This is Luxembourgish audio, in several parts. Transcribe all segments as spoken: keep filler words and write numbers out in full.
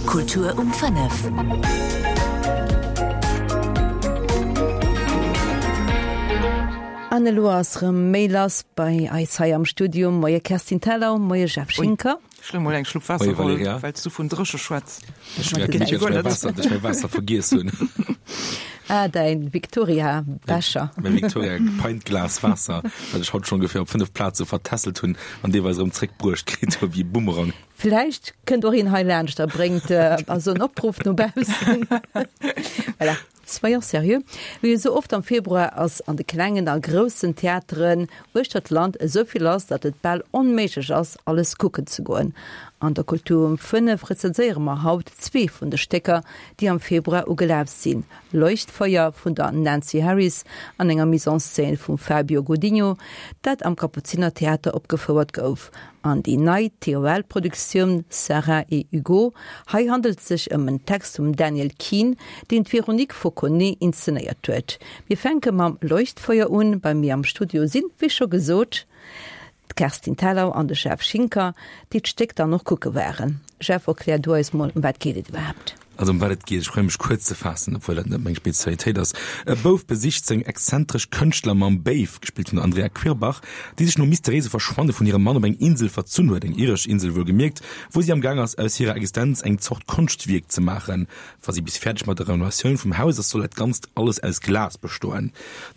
Kultur um fënnef. An elo ass rëm méi lass bei eis hei am Studio. Moie Kerstin Thalau, moie Jeff Schinker. Ech wëll mol eng Schlupp Waasser Moie huelen, Valerija. well s du vun dréche schwätz. Ech mierken, dass ech mäi Waasser, dass ech mäi Waasser vergiess hunn. Ah, däin Victoria-Becher. Mäi Victoria-Pint-Glas Waasser, wat ech haut schonn ongeféier op fënnef Plaze vertässelt hunn an deelweis erëm zréckbruecht kritt hu wéi e Bumerang. Vläicht kënnt och een hei laanscht a bréngt also en Opruff no baussen. Voilà. Soyons sérieux, wéi esou oft am Februar ass an de klengen a groussen Theateren uechter d'Land esou vill lass, datt et bal onméiglech ass, alles kucken ze goen. An der Kultur um fënnef rezenséiere mer haut zwee vun de Stécker, déi am Februar ugelaf sinn, Leuchtfeuer vun der Nancy Harris an enger Mise en scène vum Fabio Godinho, dat am Kapuzinertheater opgefouert gouf, an déi nei T O L-Produktioun Sarah et Hugo. Hei handelt et sech ëm en Text vum Daniel Keene, deen d'Véronique Fauconnet inszenéiert huet. Mir fänke mam Leuchtfeuer un. Bei mir am Studio sinn, wéi scho gesot, d'Kerstin Thalau an de Jeff Schinker, déi d'Stéck dann och kucke waren. Jeff, erklär du eis mol, ëm wat geet et iwwerhaapt? Also ëm wat et geet, ech probéiere mech kuerz ze faassen, obwuel dat net meng Spezialitéit ass. E Bouf besicht seng exzentresch Kënschtlermamm Béif, gespillt vun der Andrea Quirbach, déi sech nom mysteriéise Verschwanne vun hirem Mann op eng Insel verzunn huet, eng iresch Insel wuelgemierkt, wou si am Gaang ass, aus hirer Existenz eng Zort Konschtwierk ze maachen. Wa si bis fäerdeg mat der Renovatioun vum Haus ass, soll dat Ganzt alles aus Glas bestoen.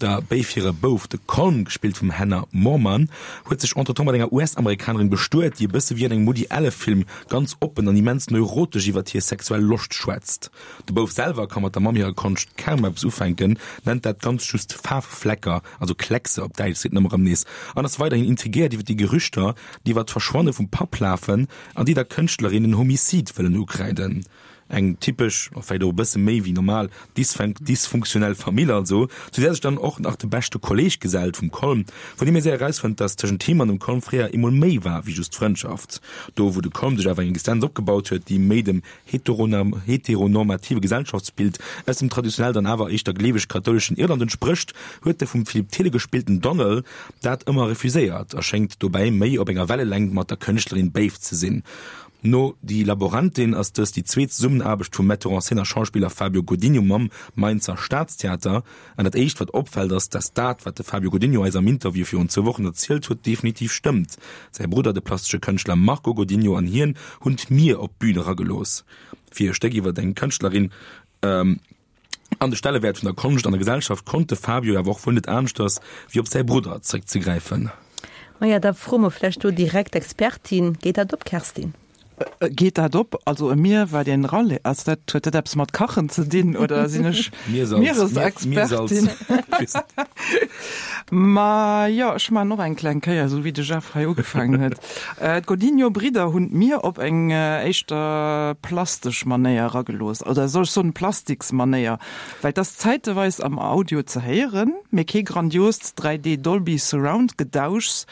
Der Béif hire Bouf, de Colm, gespillt vum Hannah Moorman, huet sech entretemps mat enger U S-Amerikanerin bestuet, déi e bësse wéi an engem Woody Alle-Film ganz oppen an immens neurotesch iwwert hir sexuell Loscht schwätzt. De Bouf selwer ka mat der Mamm hirer Konscht kaum eppes ufänken, nennt dat Ganzt just Faarfflecker, also Kleckse op Däitsch, seet en ëmmer erëm nees, an ass weiderhin intrigéiert iwwer déi Gerüchter, déi iwwer d'Verschwanne vum Papp lafen an déi der Kënschtlerin en Homicide wëllen ukräiden. Eng typesch, a vläicht och e bësse méi wéi normal, dysfunktionell Famill also, zu där sech dann och nach de beschte Kolleeg gesellt vum Colm, vun deem ee séier erausfënnt, dass tëschent him an dem Colm fréier eemol méi war wéi just Frëndschaft. Do wou de Colm sech awer eng Existenz opgebaut huet, déi méi dem heteronormative Gesellschaftsbild aus dem traditionell dann awer éischter gleeweg-kathouleschen Irland entsprécht, huet de vum Philippe Thille gespillten Donal dat ëmmer refuséiert a schéngt dobäi méi op enger Wellelängt mat der Kënschtlerin Béif ze sinn. No Die Laborantin ass dëst déi zweet Zesummenaarbecht vum Metteur en scène a Schauspiller Fabio Godinho mam Mainzer Staatstheater. An dat éischt, wat opfält, ass, dass dat, wat de Fabio Godinho eis am Interview virun zwou Wochen erzielt huet, definitiv stëmmt. Säi Brudder, de plastesche Kënschtler Marco Godinho, an hien hunn d'Mier op d'Bün eragelooss. Fir e Stéck iwwer eng Kënschtlerin an de Stellewäert vun der Konscht an der Gesellschaft konnt de Fabio awer och wuel net aneschters, wéi op säi Brudder zeréckzegräifen. Maja, da froe mer vläicht do direkt d'Expertin, Geet dat op, Kerstin? Geet dat op? Also e Mier wat een raleet, ass dat, huet dat eppes mat Kachen ze dinn oder sinn ech Mieresexpertin? Ma jo, ech maachen och eng kleng Kéier, esou wéi de Jeff hei ugefaangen huet. D'Godinho-Bridder hunn d'Mier op eng éischter plastesch Manéier eragelooss, oder soll ech soen Plastiksmanéier, well et ass zäiteweis am Audio ze héieren, mee kee grandiost dräi D Dolby Surround Gedauschs,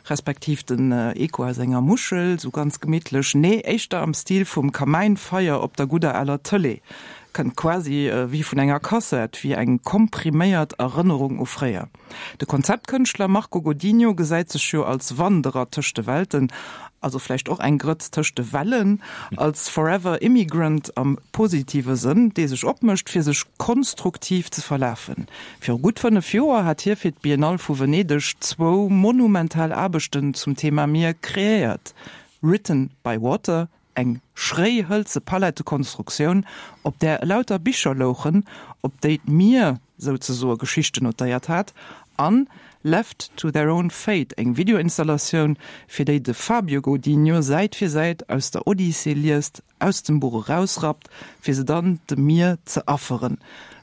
respektiv den Echo aus enger Muschel, sou ganz gemittlech, nee, éischter am Stil vum Kamäinfeier op der gudder aler Tëlee, kënnt quasi wéi vun enger Kassett, wéi eng kompriméiert Erënnerung u fréier. De Konzeptkënschtler Marco Godinho gesäit sech jo als Wanderer tëscht de Welten, also vläicht och eng Grëtz tëscht de Wellen, als Forever Immigrant am positive Sënn, dee sech opmécht, fir sech konstruktiv ze verlafen. Viru gutt fënnef Joer hat hie fir d'Biennale vu Venedeg zwou monumental Aarbechten zum Thema Mier kreéiert, Written by Water, eng schréi hëlze Palettekonstruktioun, op där elauter Bicher louchen, op déi d'Mier souzesoe Geschichten notéiert hat, an Left to their own fate, eng Videoinstallatioun, fir déi de Fabio Godinho Säit fir Säit aus der Odyssee liest, aus dem Buch erausrappt, fir se dann dem Mier ze afferen,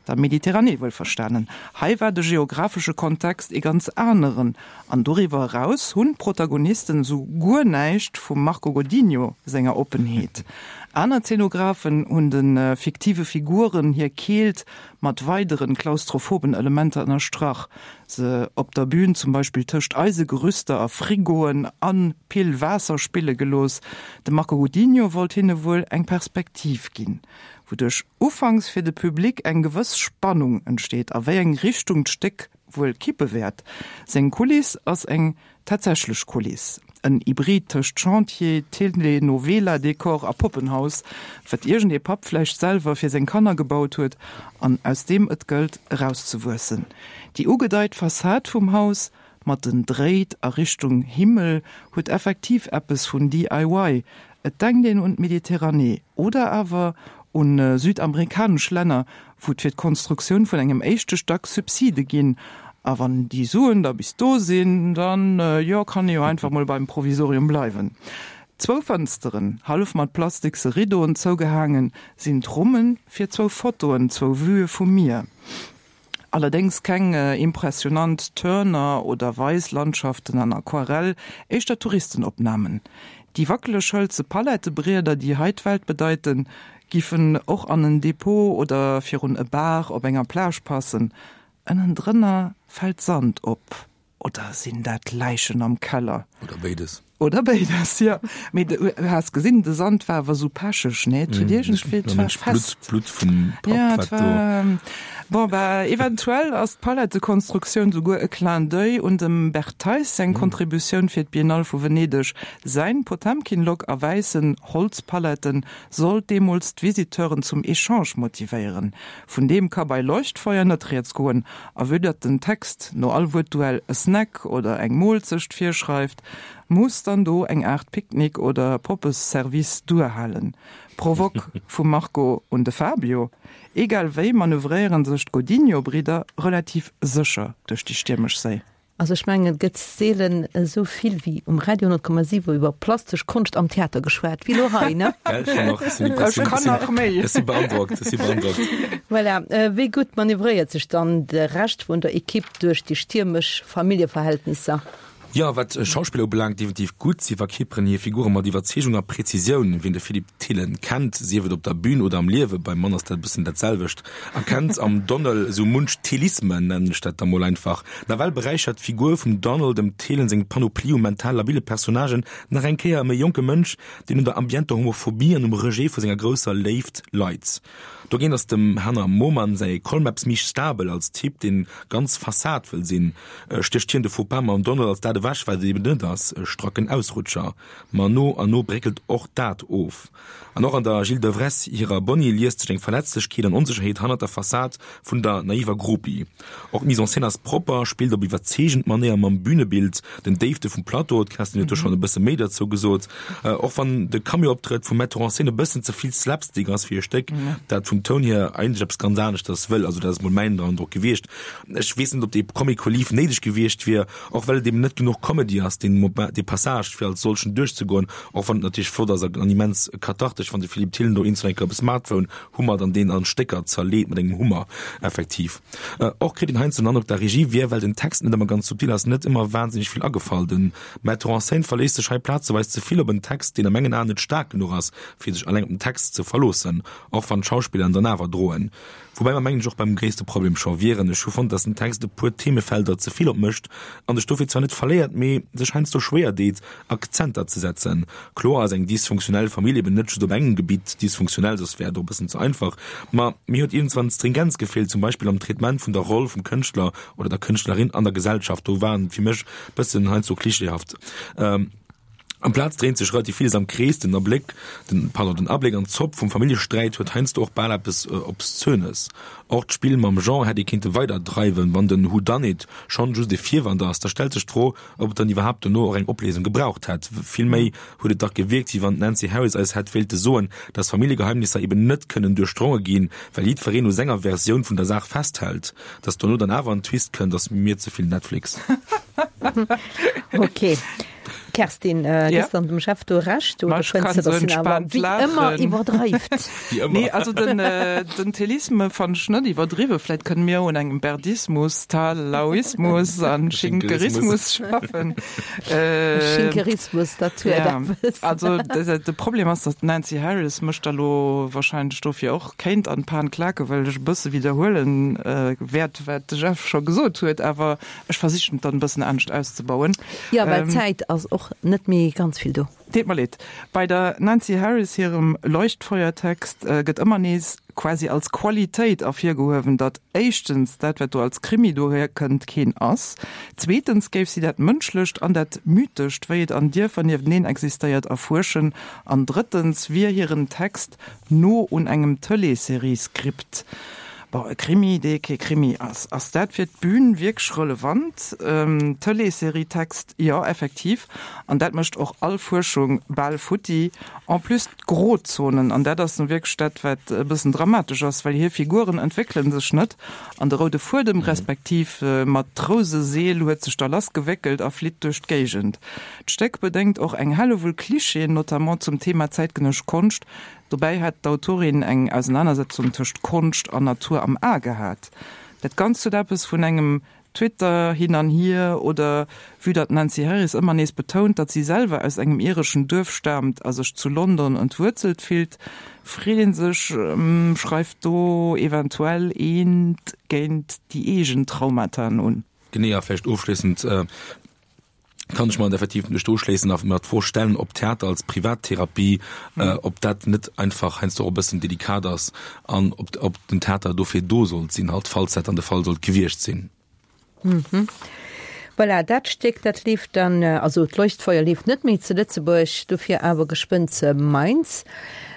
der Mediterranee wuelverstanen. Hei war de geographesche Kontext ee ganz aneren, an doriwwer eraus hunn d'Protagonisten esou guer näischt vum Marco Godinho senger Oppenheet. Aner Zeenographen hunn de fiktive Figuren hir Keelt mat weideren klaustrophoben Elementer ënnerstrach, se op der Bühn zum Beispill tëscht Eisegerüster a Frigoen a Pill Waasser spille gelooss. De Marco Godinho wollt hinne wuel eng Perspektiv ginn, wouduerch ufanks fir de Public eng gewëss Spannung entsteet, a wéi eng Richtung d'Stéck wuel kippe wäert. Seng Kuliss ass eng tatsächlech Kuliss, En Hybrid tëscht Chantier, Telenovela-Dekor a Poppenhaus, wat iergendee Papp vläicht selwer fir seng Kanner gebaut huet an aus deem et gëllt erauszewuessen. Déi ugedeit Fassad vum Haus mat den Dréit a Richtung Himmel huet effektiv eppes vun D I Y. Et denkt een un d'Mediterranee oder awer un südamerikanesch Länner, wou et fir d'Konstruktioun vun engem éischte Stack Subside ginn. A wann déi Suen da bis do sinn, dann, jo, kann ee jo einfach mol beim Provisorium bleiwen. Zwou Fënsteren, hallef mat plastikse Riddoen zougehaangen, sinn d'Rummen fir zwou Fotoen, zwou Vuë vum Mier. Allerdéngs keng impressionant Turner oder Weislandschaften an Aquarell, éischter Touristenopnamen. Déi wackeleg hëlze Palettebrieder, déi hei d'Welt bedeiten, giffen och an en Depot oder virun e Bar op enger Plage passen. Ënnendrënner fält Sand op. Oder sinn dat Läichen am Keller? Oder béides. Oder béides, jo. Mee du has gesinn, de Sand war awer sou pecheg, nee? Et huet iergendwéi, et war fest. Blutt, Blutt vum Papp, Ja, et wat do. war, bon, bah, eventuell ass d'Palettekonstruktioun souguer e Clin d'oeil un dem Bert Theis seng Kontributioun fir d'Biennale vu Venedeg. Säin Potemkin-Lock a wäissen Holzpaletten sollt deemools d'Visiteuren zum Echange motivéieren. Vun deem ka bei Leuchtfeuer net rieds goen, a vue datt den Text no all Wuertduell e Snack oder eng Moolzecht virschreift, muss dann do eng Aart Picknick oder Poppesservice duerhalen. Provoque vum Marco un de Fabio? Egal wéi manövréieren sech d'Godinho-Bridder relativ sécher duerch déi stiermesch Séi. Also ech mengen, et gëtt seelen esou vill wéi um Radio honnert Komma siwen iwwer plastesch Konscht am Theater geschwat wéi elo hei, ne? Gell, schon och. Ech sinn Ech kann nach méi. Ech si beandrockt, ech si beandrockt. Voilà. Wéi gutt manövréiert sech dann de Rescht vun der Ekipp duerch déi stiermesch Familljeverhältnisser? Jo, wat Schauspiller ubelaangt, definitiv gutt. Si verkierperen hir Figure mat Iwwerzeegung a Präzisioun. Wien de Philippe Thillen kennt, sief et op der Bühn oder am Liewen, beim Mann ass dat e bëssen dat selwecht, erkennt am Donald esou munch Thillismen, nennen ech dat da mol einfach. Nawell beräichert d'Figur vum Donald dem Thillen seng Panoplie u mental labile Personnagen nach eng Kéier ëm e jonke Mënsch, deen un der ambienter Homophobie an um Rejet vu senger grousser Léift leit. Dogéint ass dem Hanna Moman säi Colm eppes méi stabel als Typ, deen ganz Fassad wëll sinn. Stécht hien de Faux-pas mam Donald als dat ewech, wat et eben net ass, e strakken Ausrutscher. Ma no an no bréckelt och dat of. An och an der Jill Devresse hirer Bonnie liest sech eng Verletzlechkeet an Onsécherheet hannert der Fassad vun der naiver Groupie. Och d'Mise en scène ass propper, spillt op iwwerzeegend Manéier mam Bünebild, den Déifte vum Plateau, d'Kerstin huet do schonn e bësse méi derzou gesot, och wann de Cameo-Optrëtt vum Metteur en scène e bëssen ze vill Slapstick ass fir e Stéck, dat vum Toun hier eigentlech eppes ganz aneschters wëll. Also dat ass mol mäin Androck gewiescht. Ech weess net, ob dee Comic Relief néideg gewiescht wier, och well et eben net genuch Comedy ass, deen Moment, dee Passage fir als solchen duerchzegoen, och wann et natierlech flott ass an immens kathartesch, wann de Philippe Thillen do eenzel enker op e Smartphone hummert an deen an Stécker zerleet mat engem Hummer effektiv. Och kritt een heiansdo den Androck, der Regie wier, well den Text net ëmmer ganz subtil ass, net ëmmer wahnsinneg vill agefall. Den Metteur en scène verléisst sech hei plazeweis ze vill op en Text, deen a mengen Aen net staark genuch ass, fir sech alleng op den Text ze verloossen, och wann d'Schauspiller en dann awer droen. Woubäi mer mengen ech och beim gréisste Problem scho wieren. Ech hu fonnt, dass den Text e puer Themefelder ze vill opmëscht an sech dofir zwar net verléiert, mee sech heiansdo schwéier deet, Akzenter ze setzen. Kloer ass eng dysfunktionell Famill eben net just op engem Gebitt dysfunktionell, soss wär et och e bëssen ze einfach. Ma mir huet iergendswann d'Stringenz gefeelt, zum Beispill am Traitement vun der Roll vum Kënschtler oder der Kënschtlerin an der Gesellschaft. Do war en fir mech bëssen heiansdo klischeehaft. Amplaz dréint sech relativ villes am Krees, den Abléck, den, pardon, den Abléck an d'Zopp vum Familljesträit huet heiansdo och bal eppes Obszönes. Och d'Spill mam Genre hätt ee kéinte weider dreiwen, wann den Whodunit schonn just e Virwand ass, da stellt sech d'Fro, ob et dann iwwerhaapt dono och eng Opléisung gebraucht hätt. Vill méi huet et dach gewierkt, wéi wann d'Nancey Harris eis hätt wéilte soen, dass Familljegeheimnisser eben net kënnen duerchdronge ginn, well jiddwereen u senger Versioun vun der Saach festhält. Dass dono dann awer en Twist kënnt, ass mir ze vill Netflix. Ok. Kerstin, äh, ja. dann dem Chef du recht oder kann so entspannt wie ëmmer iwwerdreift. Nee, also den, äh, den Thelisme fand ich net iwwerdriwwen. Vläicht kënne mir un engem Berdismus, Talauismus an Schinkerismus schaffen. Äh, Schinkerismus, dat huet ja. eppes. Also de, de Problem ass, dass d'Nancy Harris mécht da lo wahrscheinlech dofir och kéint an d'Pan klaken, well ech e bësse widderhuelen äh, wäert, wat de Jeff scho gesot huet, awer ech versichen et dann e bëssen anescht auszebauen. Ja, well d'Zäit ass och net méi ganz vill do. Deet mer leed. Bei der Nancy Harris hirem Leuchtfeuertext gëtt ëmmer nees quasi als Qualitéit ervirgehuewen, datt éischtens dat, wat do als Krimi dohierkënnt, keen ass, zweetens géif si dat Mënschlecht an dat Mythescht, wéi et an Dierfer niefteneen existéiert, erfuerschen an drëttens wier hiren Text no un engem Tëleesserie-Skript. Bon, e Krimi, dee kee Krimi ass. Ass dat fir d'Bün wierklech relevant? Tëleesserie-Text, jo, effektiv. An dat mécht och all Fuerschung bal futti. En plus d'Grozonen, an dat ass nu wierklech dat, wat e bëssen dramatesch ass, well hir Figuren entwéckele sech net an de roude Fuedem respektiv mat d'Rouseseel huet sech da lassgewéckelt a flitt duerch d'Géigend. D'Stéck bedéngt och eng Hellewull Klischeeën, notamment zum Thema zäitgenëssesch Konscht. Dobäi hätt d'Autorin eng Ausenanersetzung tëscht Konscht an Natur am A gehat. Dat Ganzt huet eppes vun engem Twitter hin an hier oder vue datt d'Nancy Harris ëmmer nees betount, datt si selwer aus engem ireschen Duerf staamt a sech zu London entwuerzelt fillt, freet ee sech, schreift do eventuell eent géint déi eegen Traumataen un? Genee, a vläicht ofschléissend kann ech mer effektiv mech do uschléissen a mer d'Fro stellen, ob Theater als Privattherapie, ob dat net einfach heiansdo och e bëssen delikat ass an ob, ob den Theater dofir do sollt sinn, halt, falls dat dann de Fall sollt gewiescht sinn. Mhm. Voilà, dat Stéck, dat leeft dann, also d'Leuchtfeuer leeft net méi zu Lëtzebuerg, dofir awer geschwënn zu Mainz.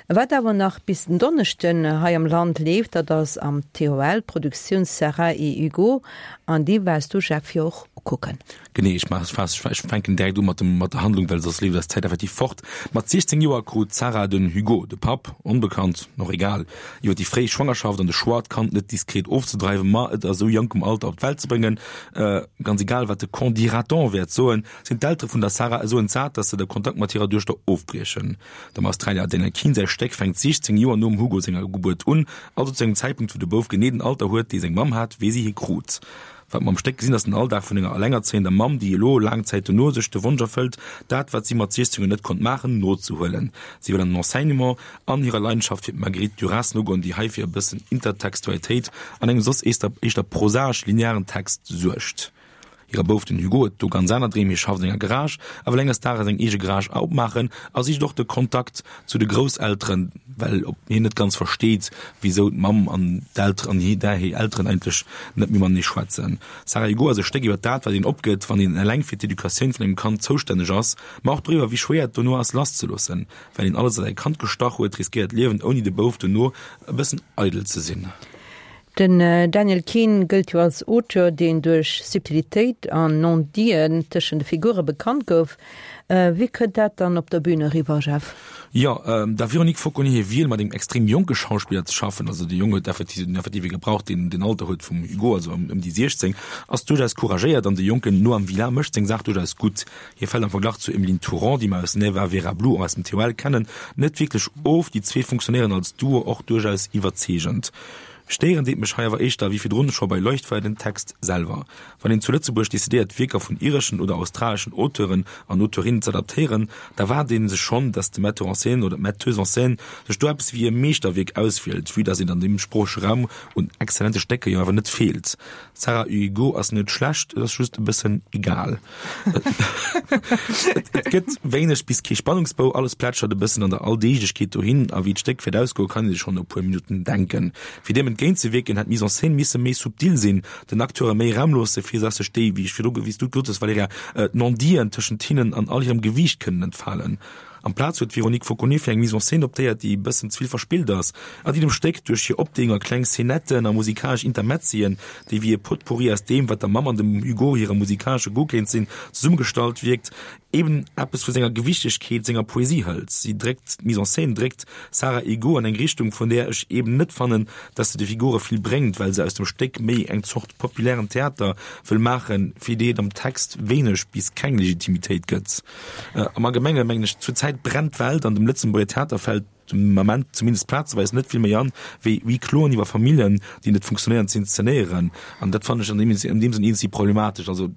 Wat awer nach bis den Donneschden hei am Land leeft, dat ass am T O L, d'Produktioun Sarah et Hugo, an déi waars du, Jeff, jo och ukucken. Genee, ech maachen es, ech fänken direkt u mat dem, mat der Handlung, well soss leeft eis d'Zäit effektiv fort. Mat siechzéng Joer krut d'Sarah den Hugo, de Papp, onbekannt, och egal, iwwer déi fréi Schwangerschaft an de Choix, d'Kand net diskret ofzedreiwen, ma et a sou jonkem Alter op d'Welt ze bréngen, ganz egal wat de Qu'en dira-t-on wäert soen, sinn d'Eltere vun der Sarah esou entsat, dass se de Kontakt mat hirer Duechter ofbriechen. Dem Australier Daniel Keane säi Stéck fänkt siechzéng Joer nom Hugo senger Gebuert un, also zu engem Zäitpunkt, wou de Bouf genee den Alter huet, dee seng Mamm hat, wéi si hie krut. Wat mer am Stéck gesinn, ass den Alldag vun enger allengerzéiender Mamm, déi elo, laang Zäit dono, sech de Wonsch erfëllt, dat, wat si mat siechzéng Joer net konnt maachen, nozehuelen. Si wëll an den Enseignement an hirer Leidenschaft fir d'Marguerite Duras nogoen, déi hei fir e bëssen Intertextualitéit an engem soss éischter prosaesch-linearen Text suergt. Hire Bouf, den Hugo, huet do ganz aner Dreem, hie schafft an enger Garage a wëll enges Dages eng eege Garage opmaachen a sicht och de Kontakt zu de Grousselteren, well hien net ganz versteet, wisou d'Mamm an d'Elteren an hir Elteren eigentlech net méi matenee schwätzen. Sarah Hugo ass e Stéck iwwer dat, wat een opgëtt, wann een eleng fir d'Educatioun vun engem Kand zoustänneg ass, ma och doriwwer, wéi schwéier et dono ass, lasszeloossen. Well een alles a säi Kand gestach huet, riskéiert d'Liewen ouni de Bouf dono e bëssen eidel ze sinn. Den Daniel Keane gëllt jo als Auteur, deen duerch Subtilitéit an Non-Diten tëschent de Figure bekannt gouf. Wéi kënnt dat dann op der Bün eriwwer, Jeff? Jo, der Véronique Fauconnier hir Wiel, mat engem extrem jonke Schauspiller ze schaffen, also de Jong huet effektiv den effektive gebraucht, deen den Alter huet vum Hugo, also ëm déi siechzéng, ass duerchaus couragéiert an de jonken Noam Vila mécht seng Saach duerchaus gutt. Hie fält am Verglach zu Emeline Tourand, déi mer aus Neva Vera Blue och aus dem T O L kennen, net wierklech of. Déi zwee funktionéieren als Duo och duerchaus iwwerzeegend. Stéieren deet mech hei awer éischter, wéi virdrun scho bei Leuchtfeuer, den Text selwer. Wann een zu Lëtzebuerg decidéiert, Wierker vun ireschen oder australeschen Auteuren an Auteurinnen z'adaptéieren, da waart ee sech schonn, datt de Metteur en scène oder d'Metteuse en scène sech do eppes wéi e Meeschterwierk auswielt, vue datt et an deem sproochege Raum un exzellente Stécker jo awer net feelt. Sarah Hugo ass net schlecht, et ass just e bëssen egal. Et gëtt wéineg bis kee Spannungsbou, alles plätschert e bëssen an der Alldeeglechkeet dohin a wéi d'Stéck wäert ausgoen, kann ee sech schonn no e puer Minutten denken. Fir deem entgéintzewierken, hätt d'Mise en scène misse méi subtil sinn, den Acteure méi Raum loosse fir dass sech déi, wéi ech virdru, wéi s du gesot hues, Valerija, d'Non-Diten tëschent hinnen an all hirem Gewiicht kënnen entfalen. Amplaz huet d'Véronique Fauconnier fir eng Mise en scène optéiert, déi e bëssen ze vill verspillt ass a déi dem Stéck duerch hir Opdeeung a kleng Szenetten a musikalesch Intermezzien, déi wéi e Potpourri aus deem, wat der Mamm an dem Hugo hire musikalesche Goût kéint sinn, zesummegestallt wierkt, eben eppes vu senger Gewichtegkeet, senger Poesie hëlt. Si dréckt, d'Mise en scène dréckt Sarah Hugo an eng Richtung, vun där ech eben net fannen, dass se de Figure vill bréngt, well se aus dem Stéck méi eng Zort populären Theater wëll maachen, fir déi et am Text wéineg bis keng Legitimitéit gëtt. Am Allgemenge mengen ech, zur Zäit brennt d'Welt an dem Lëtzebuerger Theater fält dem Ament zumindest plazeweis net vill méi an, wéi huis closen iwwer Familljen, déi net funktionéieren, ze inszenéieren. An dat fannen ech an deem an deem Sënn iergendwéi problematesch. Also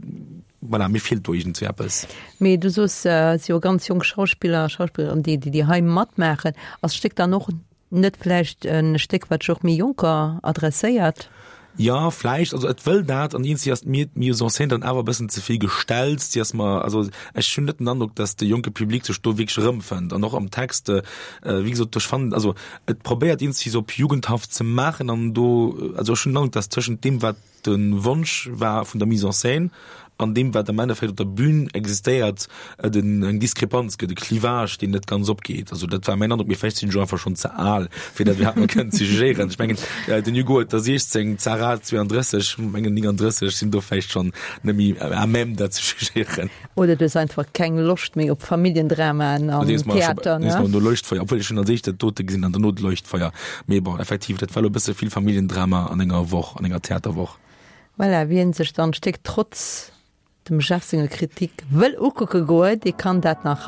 voilà, mir feelt do iergendwéi eppes. Mee du soos, et si jo ganz jonk Schauspiller a Schauspillerinnen, déi déi hei matmaachen. Ass d'Stéck dann och net vläicht e Stéck, wat sech och méi Jonker adresséiert? Ja, vläicht, also et wëll dat an iergendwéi ass mir d'Mise en scène dann awer e bëssen ze vill gestellt, déi ass mer, also ech hunn net den Androck, dass de jonke Public sech do wierklech erëmfënnt an och am Text, wéi gesot, ech fannen, also et probéiert iergendwéi se op jugendhaft ze maachen an do, also ech hunn den Androck, dass tëschent deem wat de Wonsch war vun der Mise en scène an deem wat am Endeffekt op der Bühn existéiert, et eng Diskrepanz gëtt, e Clivage, deen net ganz opgeet. Also dat war mäin Androck, mee vläicht sinn ech och einfach schonn ze al, fir dat iwwerhaapt nach kënnen ze jugéieren. Ech mengen, den Hugo huet der siechzéng, d'Sarah zweeandrësseg, mengen nénganddrësseg, sinn do vläicht schonn net méi à même dat ze jugéieren. Oder du hues einfach keng Loscht méi op Familljendramaen am Theater, ne? No Leuchtfeuer, obwuel ech hunn als éischt dat dote gesinn an derno d'Leuchtfeuer. Mee bon, effektiv, dat war elo e bësse vill Familljendrama an enger Woch, an enger Theaterwoch. Voilà, wien sech dann d'Stéck trotz dem Jeff senger Kritik wëll ukucke goen, dee kann dat nach.